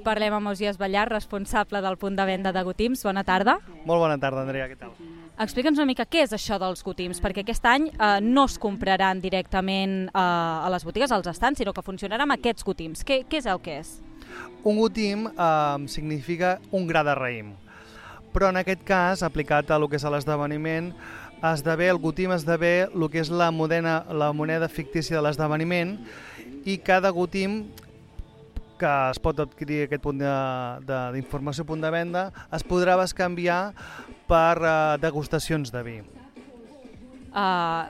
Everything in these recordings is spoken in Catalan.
Parlem amb Ausiàs Ballar, responsable del punt de venda de Gotims. Bona tarda. Molt bona tarda, Andrea, què tal? Explica'ns una mica què és això dels Gotims, perquè aquest any no es compraran directament a les botigues, als estants, sinó que funcionarà amb aquests Gotims. Què és el que és? Un Gotim significa un gra de raïm, però en aquest cas, aplicat a lo que és l'esdeveniment, el Gotim esdevé el que és la moneda fictícia de l'esdeveniment, i cada Gotim que es pot adquirir aquest punt d'informació, punt de venda, es podrà bescanviar per degustacions de vi.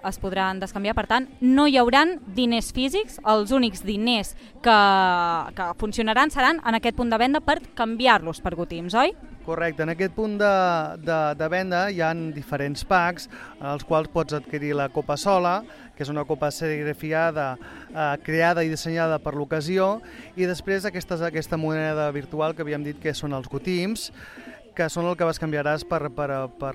Es podran descanviar, per tant, no hi hauran diners físics, els únics diners que funcionaran seran en aquest punt de venda per canviar-los per Gotims, oi? Correcte, en aquest punt de venda hi ha diferents packs, en els quals pots adquirir la copa sola, que és una copa serigrafiada, creada i dissenyada per l'ocasió, i després aquesta moneda virtual que havíem dit que són els Gotims, que són el que bescanviaràs per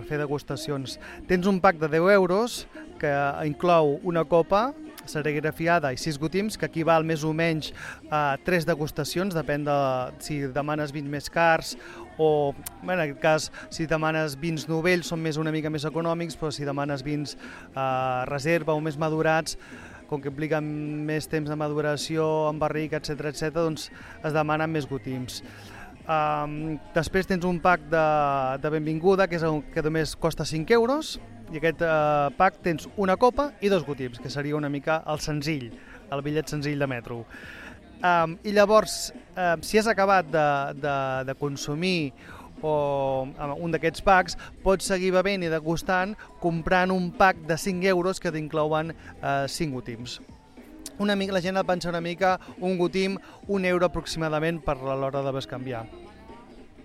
fer degustacions. Tens un pack de 10 euros que inclou una copa serigrafiada i 6 Gotims, que equival més o menys a 3 degustacions, depèn de si demanes vins més cars o, en aquest cas, si demanes vins novells són una mica més econòmics, però si demanes vins reserva o més madurats, com que impliquen més temps de maduració, en barric, etc., doncs es demanen més Gotims. Després tens un pack de benvinguda, que només costa 5 euros, i aquest pack tens una copa i 2 Gotims, que seria una mica el senzill, el bitllet senzill de metro. I llavors, si has acabat de consumir un d'aquests packs, pots seguir bevent i degustant comprant un pack de 5 euros que t'inclouen 5 Gotims. La gent el pensa una mica, un Gotim, 1 euro aproximadament per a l'hora de bescanviar.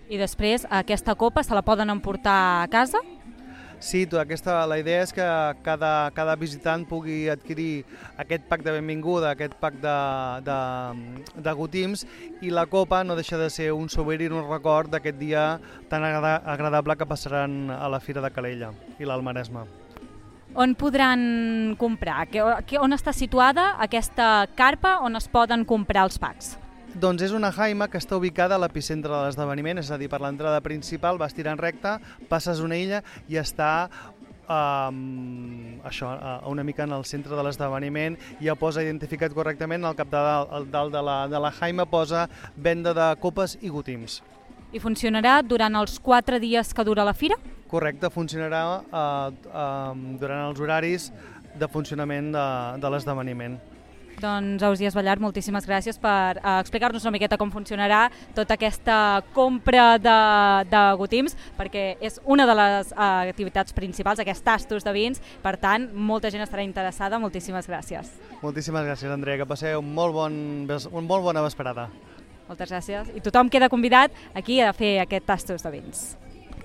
I després aquesta copa se la poden emportar a casa? Sí, la idea és que cada visitant pugui adquirir aquest pack de benvinguda, aquest pack de Gotims, i la copa no deixa de ser un souvenir, un record d'aquest dia tan agradable que passaran a la Fira de Calella i l'Alt Maresme. On podran comprar? On està situada aquesta carpa on es poden comprar els packs? Doncs és una jaima que està ubicada a l'epicentre de l'esdeveniment, és a dir, per l'entrada principal vas tirant recte, passes una illa i està una mica en el centre de l'esdeveniment. Ja posa identificat correctament, al dalt de la jaima posa venda de copes i Gotims. I funcionarà durant els 4 dies que dura la fira? Correcte, funcionarà durant els horaris de funcionament de l'esdeveniment. Doncs, Ausiàs Ballar, moltíssimes gràcies per explicar-nos una miqueta com funcionarà tota aquesta compra de Gotims, perquè és una de les activitats principals, aquests tastos de vins. Per tant, molta gent estarà interessada. Moltíssimes gràcies. Moltíssimes gràcies, Andrea, que passeu una molt bona vesprada. Moltes gràcies. I tothom queda convidat aquí a fer aquest tastos de vins.